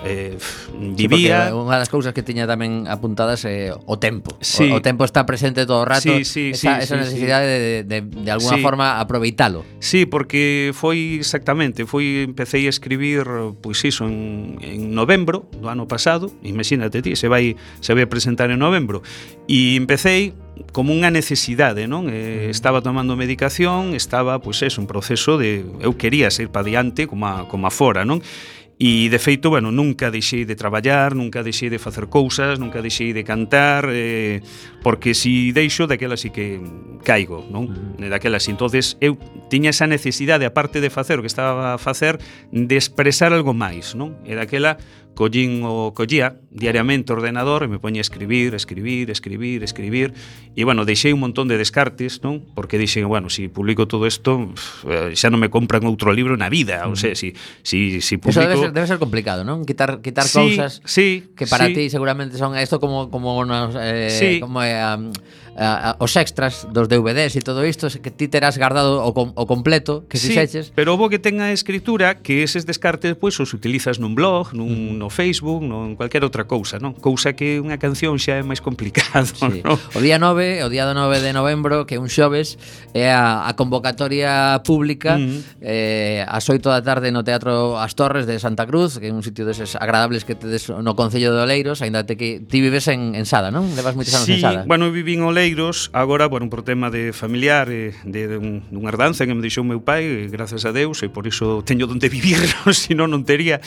vivía...
Sí, unha das cousas que tiña tamén apuntadas é o tempo.
Sí.
O tempo está presente todo o rato,
sí,
esa necesidade de alguna forma aproveitalo.
Sí, porque foi exactamente, empecé a escribir, pois iso, en novembro do ano pasado, imagínate ti, se vai a presentar en novembro, e empecé como unha necesidade, non? Estaba tomando medicación, estaba, pois eso, un proceso de... Eu quería ser pa diante como a fora, non? E, de feito, bueno, nunca deixei de traballar, nunca deixei de facer cousas, nunca deixei de cantar, porque si deixo, daquela sí que caigo, non? Daquela sí. Entonces, eu tiña esa necesidade, aparte de facer o que estaba a facer, de expresar algo máis, non? E daquela collía diariamente o ordenador e me poñía a escribir, e, bueno, deixei un montón de descartes, non? Porque dixen, bueno, si publico todo isto, xa non me compran outro libro na vida, ou sea, si publico...
Eso debe ser complicado, non? Quitar cousas que para ti seguramente son esto como os extras dos DVDs e todo isto que ti terás guardado o completo que fixeches.
Pero o bo que ten a escritura que eses descartes pois os utilizas nun blog, no Facebook, en cualquier outra cousa, non? Cousa que unha canción xa é máis complicado,
sí.
Non?
O día 9 de novembro, que é un xoves, é a convocatoria pública ás 8 da tarde no Teatro As Torres de Santa Cruz, que é un sitio deses agradables que tedes no Concello de Oleiros, aínda que ti vives en Sada, non? Levas moitos anos en Sada.
Bueno, viví en Oleiros, agora, bueno, por tema de familiar, de unha herdanza que me deixou meu pai, gracias a Deus, e por iso teño donde vivir, senón non tería,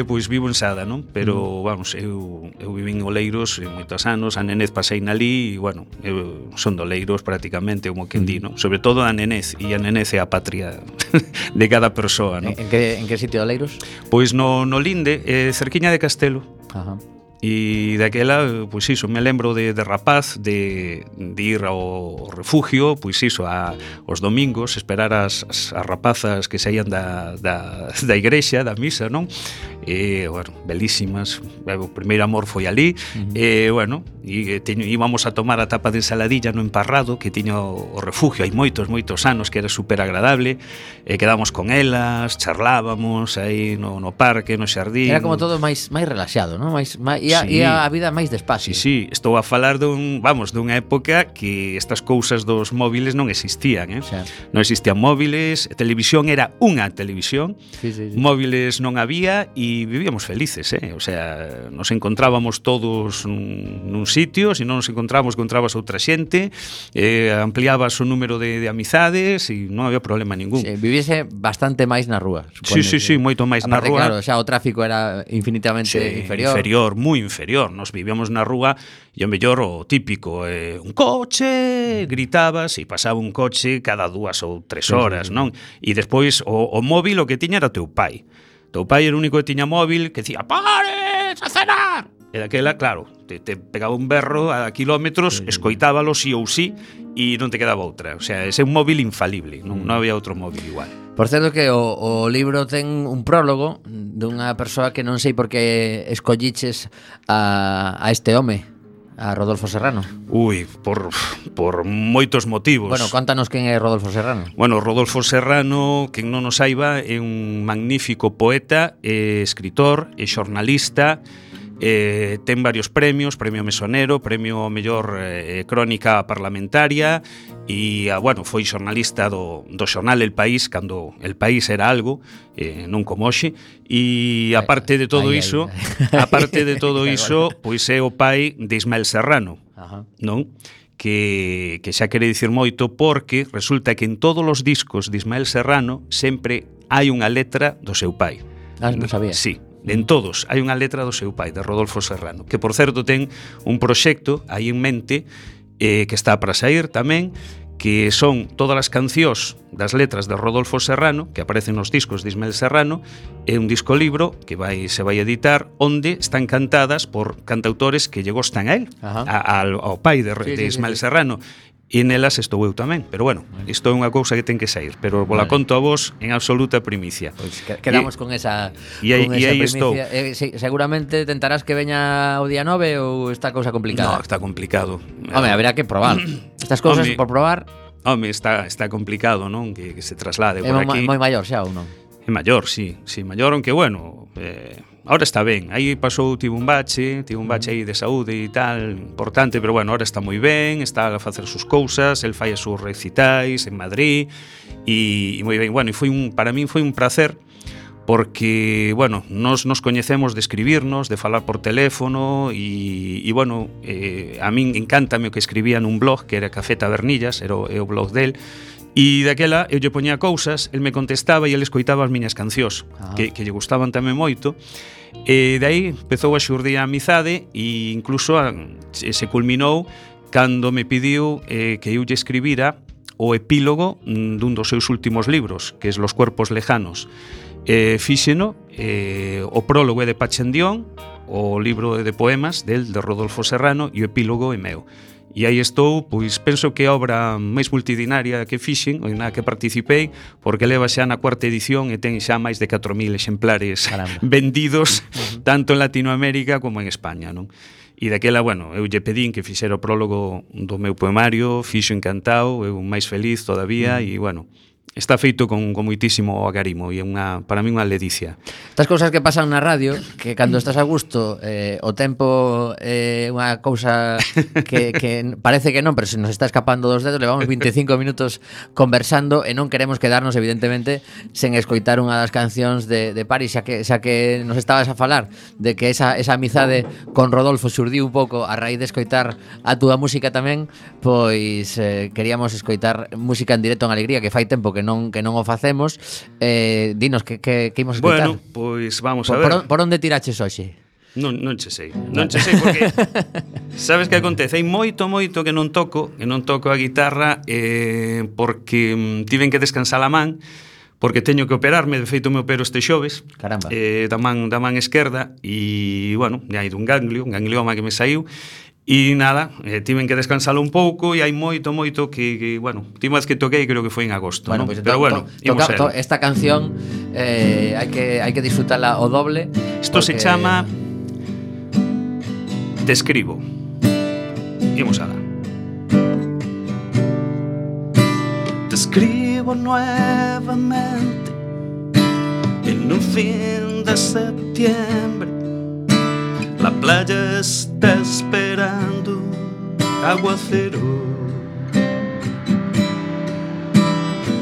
pois vivo en cansada, non? Pero, vamos, eu vivín en Oleiros moitos anos, a nenez pasei nalí e, bueno, eu son de Oleiros prácticamente, como quen di, non? Sobre todo a nenez, e a nenez é a patria de cada persoa, non?
En que sitio de Oleiros?
Pois no Linde, cerquiña de Castelo.
Ajá.
E daquela, pois iso, me lembro de rapaz de ir ao refugio, pois iso, os domingos, esperar as rapazas que saían da igrexa, da misa, non? E, bueno, belísimas, o primeiro amor foi ali, e, bueno, íbamos a tomar a tapa de ensaladilla no emparrado que tiña o refugio hai moitos anos, que era super agradable, e quedamos con elas, charlábamos aí no parque, no xardín.
Era como todo máis relaxado, non? E a vida máis despacio.
Sí, estou a falar dunha época que estas cousas dos móviles non existían,
Sí.
Non existían móviles, televisión era unha televisión,
Sí.
móviles non había e vivíamos felices, O sea, nos encontrábamos todos nun sitio, se non nos encontrabas outra xente, ampliabas o número de amizades e non había problema ningún.
Sí, viviese bastante máis na rúa, supoño.
Sí, moito máis na
Aparte,
rúa.
Claro, xa o tráfico era infinitamente inferior.
Moi inferior. Nos vivíamos na rúa e o mellor o típico, un coche, gritabas e pasaba un coche cada 2 ou 3 horas, non? E despois o móvil o que tiña era o teu pai. Teu pai era o único que tiña móvil que dicía "Pares a cenar!" E daquela, claro, te pegaba un berro a kilómetros, escoitábalo sí ou sí e non te quedaba outra. O sea, ese é un móvil infalible, non había outro móvil igual.
Por certo que o libro ten un prólogo dunha persoa que non sei por que escolliches a este home, a Rodolfo Serrano.
Ui, por moitos motivos.
Bueno, contanos quen é Rodolfo Serrano.
Bueno, Rodolfo Serrano, quen non o saiba, é un magnífico poeta, escritor e xornalista. Ten varios premios, premio Mesonero, premio ao mellor crónica parlamentaria e, bueno, foi xornalista do xornal El País cando El País era algo, non como hoxe, e aparte de todo iso, pois é o pai de Ismael Serrano, non? Que xa quere dicir moito porque resulta que en todos os discos de Ismael Serrano sempre hai unha letra do seu pai.
Non sabía.
Sí. En todos hai unha letra do seu pai, de Rodolfo Serrano, que por certo ten un proxecto aí en mente que está para sair tamén, que son todas as cancións das letras de Rodolfo Serrano que aparecen nos discos de Ismael Serrano. É un disco libro que se vai editar onde están cantadas por cantautores que lle gostan a él, ao pai de Ismael Serrano. E nelas estou eu tamén, pero bueno, isto é unha cousa que ten que sair, pero vola conto a vos en absoluta primicia.
Pois quedamos con esa
primicia. Estou.
Seguramente tentarás que veña o día 9 ou esta cousa complicada?
No, está complicado.
Home, haberá que probar. Estas cousas por probar.
Home, está complicado, non? Que se traslade por aquí.
É moi maior xa ou non?
É maior, sí, maior, aunque bueno, ahora está ben. Aí tivo un bache aí de saúde e tal, importante, pero bueno, ahora está moi ben, está a facer sus cousas, el fai as súas recitais en Madrid e moi ben. Bueno, e para min foi un placer porque, bueno, nos coñecemos de escribirnos, de falar por teléfono e bueno, a min encántame o que escribía nun blog que era Café Tabernillas, era o blog del. E daquela eu lle poñía cousas, el me contestaba e el escoitaba as miñas cancións, que lle gustaban tamén moito. E dai empezou a xurdir a amizade e incluso se culminou cando me pediu que eu lle escribira o epílogo dun dos seus últimos libros, que é Los cuerpos lejanos. Fíxeno, o prólogo é de Pachendión, o libro de poemas de Rodolfo Serrano, e o epílogo é meu. E aí estou, pois penso que é a obra máis multidinaria que fixen, na que participei, porque leva xa na 4ª edición e ten xa máis de 4.000 exemplares vendidos, tanto en Latinoamérica como en España, non? E daquela, bueno, eu lle pedín que fixera o prólogo do meu poemario, fixo encantado, eu máis feliz todavía, e bueno, está feito con moitísimo agarimo e para mí unha ledicia.
Estas cousas que pasan na radio, que cando estás a gusto o tempo é unha cousa que parece que non, pero se nos está escapando dos dedos, levamos 25 minutos conversando e non queremos quedarnos evidentemente sen escoitar unha das cancións de Paris, xa que nos estabas a falar de que esa amizade con Rodolfo xurdiu un pouco a raíz de escoitar a túa música tamén, pois queríamos escoitar música en directo en Alegría, que fai tempo que non o facemos. Dinos que imos escutar.
Bueno, pois vamos a ver.
Por onde tiraches hoxe?
Non che sei porque sabes que acontece, hai moito que non toco a guitarra porque tiven que descansar a man porque teño que operarme, de feito me opero este xoves.
Caramba.
Da man esquerda e, bueno, hai un ganglioma que me saiu e nada, tiven que descansalo un pouco e hai moito que bueno, última vez que toquei creo que foi en agosto,
bueno,
¿no?
pues,
Pero bueno,
esta canción hai que disfrutarla o doble.
Isto se chama Te escribo. Imos alá.
Te escribo nuevamente en un fin de septiembre. La playa está esperando aguacero.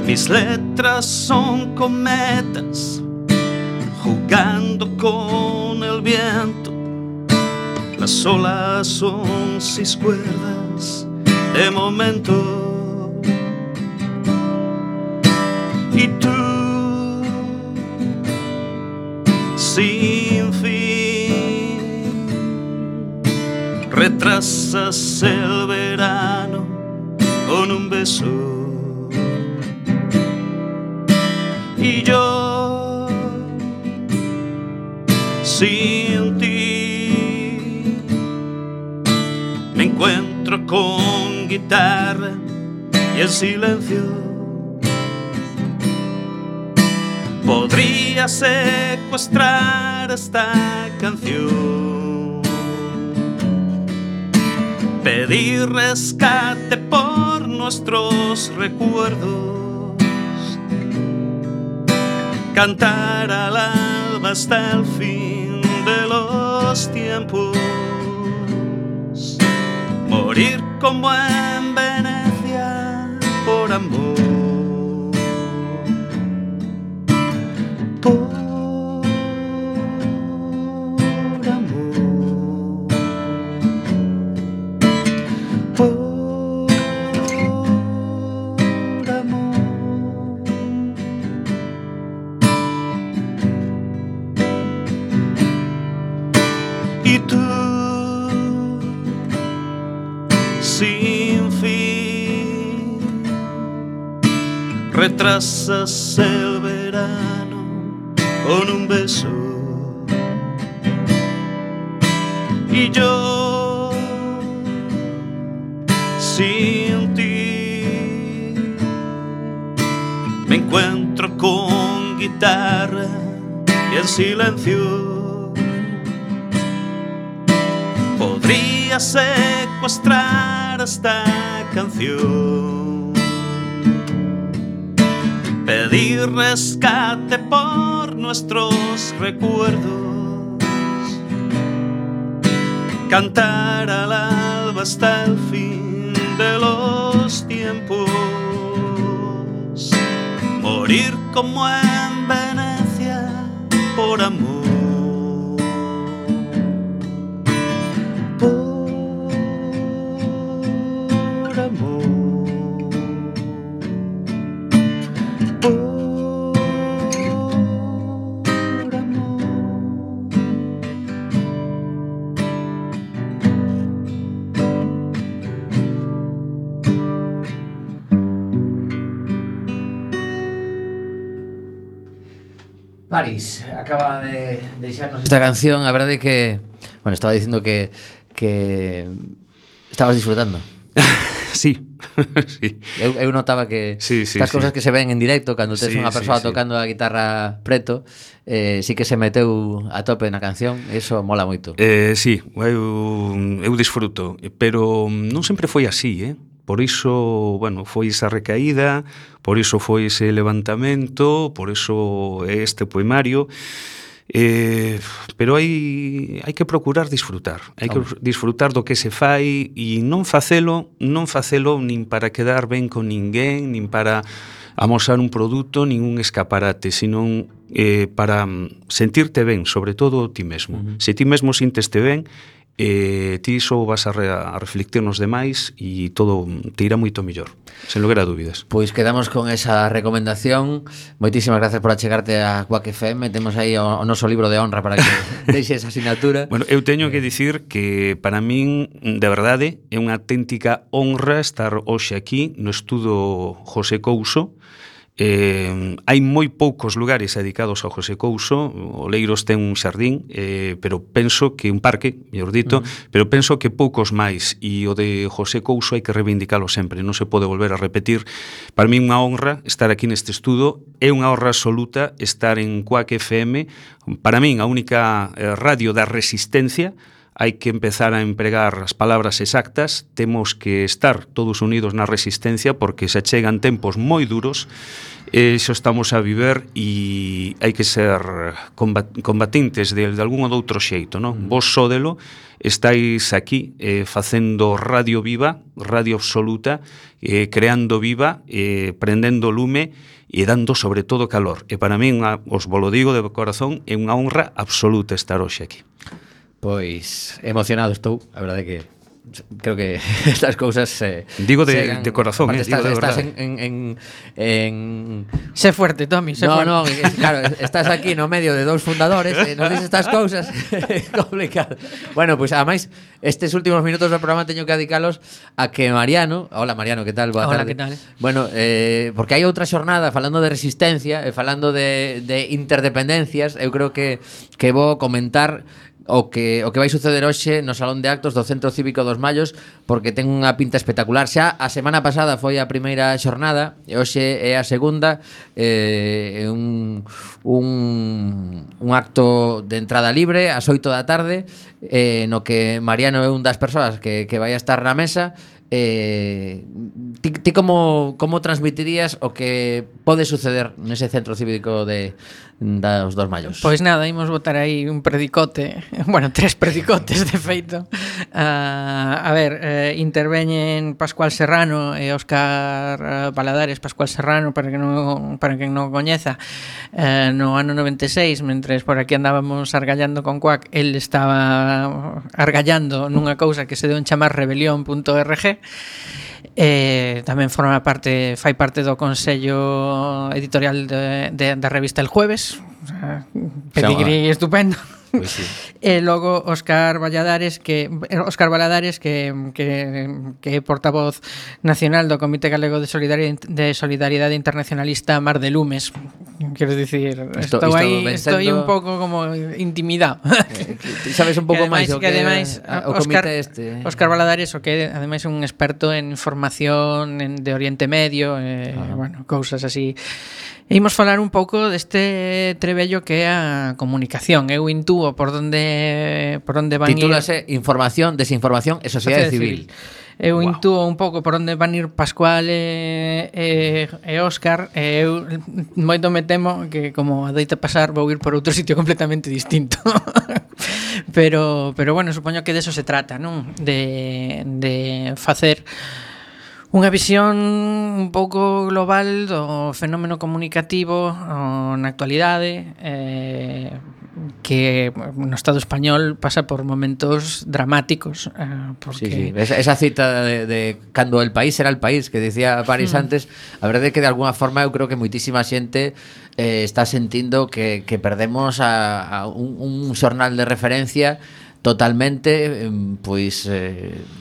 Mis letras son cometas jugando con el viento. Las olas son 6 cuerdas de momento. Y tú, sin fin, retrasas el verano con un beso. Y yo, sin ti, me encuentro con guitarra y el silencio. Podría secuestrar esta canción, pedir rescate por nuestros recuerdos, cantar al alba hasta el fin de los tiempos, morir como en Venecia por amor. Y tú, sin fin, retrasas el verano con un beso. Y yo, sin ti, me encuentro con guitarra y el silencio. Podría secuestrar esta canción, pedir rescate por nuestros recuerdos, cantar al alba hasta el fin de los tiempos, morir como en Venecia por amor.
Paris acaba de deixarnos esta canción. A verdade é que, bueno, estaba dicindo que estabas disfrutando.
Sí, sí.
Eu notaba que estas cousas que se ven en directo cando tes unha persoa tocando a guitarra preto, sí que se meteu a tope na canción. Eso mola moito.
Sí, eu disfruto, pero non sempre foi así, Por iso, bueno, foi esa recaída, por iso foi ese levantamento, por iso este poemario. Pero hai que procurar disfrutar. Hai que disfrutar do que se fai e non facelo nin para quedar ben con ninguén, nin para amosar un produto, nin un escaparate, sino para sentirte ben, sobre todo ti mesmo. Se ti mesmo sinteste ben, ti só vas a reflectir nos demais e todo te irá moito mellor, sen lugar a dúbidas.
Pois quedamos con esa recomendación. Moitísimas gracias por achegarte a Quack FM. Temos aí o noso libro de honra para que deixe esa asignatura.
Bueno, eu teño que dicir que para min, de verdade, é unha auténtica honra estar hoxe aquí no estudo José Couso. Hai moi poucos lugares dedicados ao José Couso. Oleiros ten un xardín, pero penso que un parque, mellor dito, pero penso que poucos máis, e o de José Couso hai que reivindicalo sempre, non se pode volver a repetir. Para mí unha honra estar aquí neste estudo, é unha honra absoluta estar en Quack FM, para min a única radio da resistencia. Hai que empezar a empregar as palabras exactas, temos que estar todos unidos na resistencia porque se chegan tempos moi duros, xo estamos a viver e hai que ser combatintes de algún ou de outro xeito, non? Vos sódelo, estáis aquí facendo radio viva, radio absoluta, creando viva, prendendo lume e dando sobre todo calor. E para min, os volo digo de corazón, é unha honra absoluta estar hoxe aquí.
Pois emocionado estou, a verdade que creo que estas cousas
digo de corazón,
estás,
digo de
estás
en sé fuerte, Tommy, sé fuerte.
No, claro, estás aquí no medio de dous fundadores, nos dices estas cousas, complicado. Bueno, pois ademais estes últimos minutos do programa teño que dedicalos a que Mariano, hola Mariano, que tal? Boa
Hola,
tarde.
que tal?
Bueno, porque hai outra xornada falando de resistencia e falando de interdependencias, eu creo que vou comentar o que vai suceder hoxe no Salón de Actos do Centro Cívico dos Mallos, porque ten unha pinta espectacular. Xa a semana pasada foi a primeira xornada e hoxe é a segunda, un acto de entrada libre ás 8 da tarde, no que Mariano é un das persoas que vai a estar na mesa. Ti como transmitirías o que pode suceder nese Centro Cívico dos 2 Mallos?
Pois nada, imos botar aí un predicote, bueno, 3 predicotes de feito. A ver, interveñen Pascual Serrano e Óscar Valadares. Pascual Serrano, para quen non coñeza, no ano 96, mentres por aquí andábamos argallando con Quack, el estaba argallando nunha cousa que se deu en chamar rebelión.org. Tamén fai parte do Consello Editorial da revista El Jueves, pedigrí estupendo.
Pues sí.
E logo Óscar Valadares que é portavoz nacional do Comité Galego de Solidaridade Internacionalista Mar de Lumes. Quero dicir, estou un pouco como intimidado.
Sabes un pouco máis o que
ademais
o comité este.
Óscar Valadares, o que ademais é un experto en información de Oriente Medio, bueno, cousas así. E imos falar un pouco deste trebello que é a comunicación. Eu intúo por onde van
Titúlase Información, Desinformación e Sociedade Civil.
Eu intúo un pouco por onde van ir Pascual e Óscar, e eu moito me temo que, como adoita pasar, vou ir por outro sitio completamente distinto. pero bueno, supoño que deso se trata, non? De facer unha visión un pouco global do fenómeno comunicativo na actualidade, que no Estado español pasa por momentos dramáticos, porque...
Sí. Esa cita de cando el país era el país, que decía París antes, a verdade é que de alguna forma eu creo que moitísima xente está sentindo que perdemos a un xornal de referencia totalmente, pois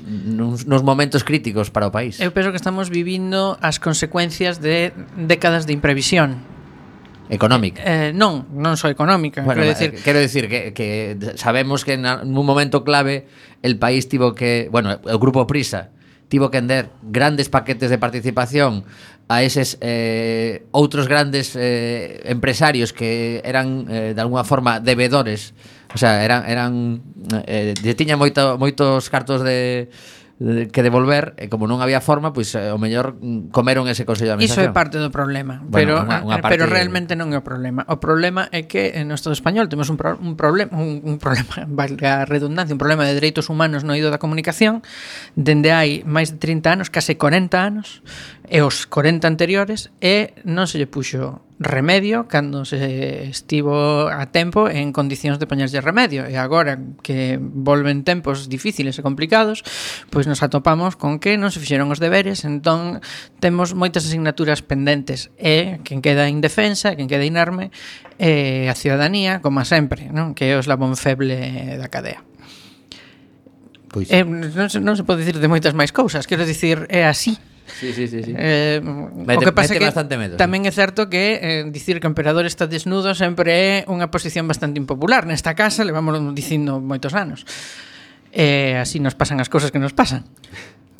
nos momentos críticos para o país.
Eu penso que estamos vivindo as consecuencias de décadas de imprevisión
económica.
Non só económica.
Bueno, quero decir que sabemos que nun momento clave el país tivo que, bueno, o Grupo Prisa tivo que vender grandes paquetes de participación a eses outros grandes empresarios que eran de alguna forma devedores. O sea, tiña moitos cartos que devolver, e como non había forma, pois o mellor comeron ese consello de administración.
Iso é parte do problema,
bueno,
pero realmente non é o problema. O problema é que no Estado español temos un problema, valga a redundancia, un problema de dereitos humanos no eido da comunicación dende hai máis de 30 anos, case 40 anos, e os 40 anteriores, e non se lle puxo remedio cando se estivo a tempo en condicións de poñerlle remedio, e agora que volven tempos difíciles e complicados, pois nos atopamos con que non se fixeron os deberes, entón temos moitas asignaturas pendentes, e quen queda indefensa, quen queda inerme, a ciudadanía, como sempre, non? Que é o eslabón feble da cadea.
Pois
Non se pode dicir de moitas máis cousas, quero dicir, é así.
Sí.
O que pasa é que
medo,
tamén é certo que dicir que o emperador está desnudo sempre é unha posición bastante impopular. Nesta casa levamos dicindo moitos anos. Así nos pasan as cousas que nos pasan.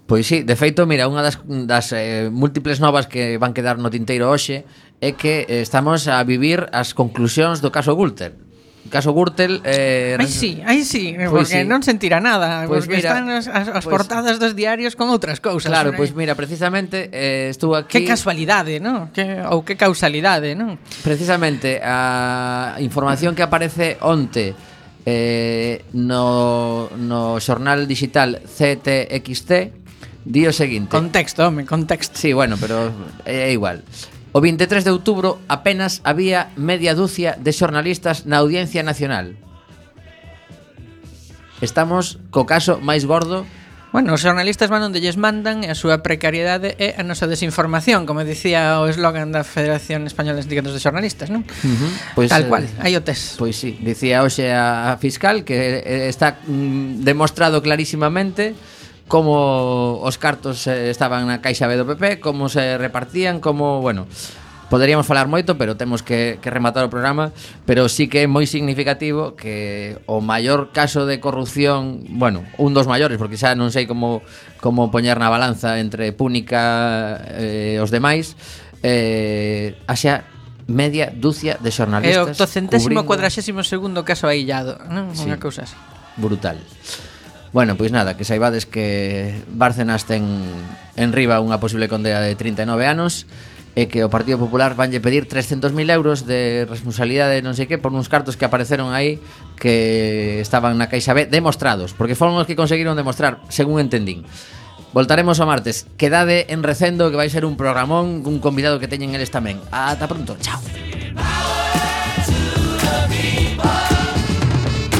Pois sí, de feito, mira, unha das múltiples novas que van quedar no tinteiro hoxe é que estamos a vivir as conclusións do caso Gürtel. O caso Gürtel...
Aí sí, porque non sentirá nada,
pues
porque
mira,
están as portadas dos diarios con outras cousas.
Claro, pois mira, precisamente estuvo aquí...
Que casualidade, non? Ou que causalidade, non?
Precisamente a información que aparece onte no xornal digital CTXT di o seguinte.
Contexto, contexto.
Sí, bueno, pero é igual. O 23 de outubro apenas había media dúcia de xornalistas na Audiencia Nacional. Estamos co caso máis gordo.
Bueno, os xornalistas van onde lles mandan e a súa precariedade é a nosa desinformación, como dicía o eslogan da Federación Española de Sindicatos de Xornalistas, non?
Pois,
tal cual, aí o tes.
Pois sí, dicía hoxe a fiscal que está demostrado clarísimamente como os cartos estaban na caixa B do PP, como se repartían, como, bueno, poderíamos falar moito, pero temos que rematar o programa, pero sí que é moi significativo que o maior caso de corrupción, bueno, un dos maiores, porque xa non sei como poñer na balanza entre Púnica e os demais, haxa media dúcia de xornalistas.
É o 842º caso aillado, non?
Sí.
Unha cousa así.
Brutal. Bueno, pois nada, que saibades que Bárcenas ten en riba unha posible condena de 39 anos e que o Partido Popular vanlle pedir 300.000 euros de responsabilidade non sei que por uns cartos que apareceron aí que estaban na Caixa B demostrados, porque foron os que conseguiron demostrar, según entendín. Voltaremos o martes. Quedade en Recendo, que vai ser un programón, un convidado que teñen eles tamén. Ata pronto, chao.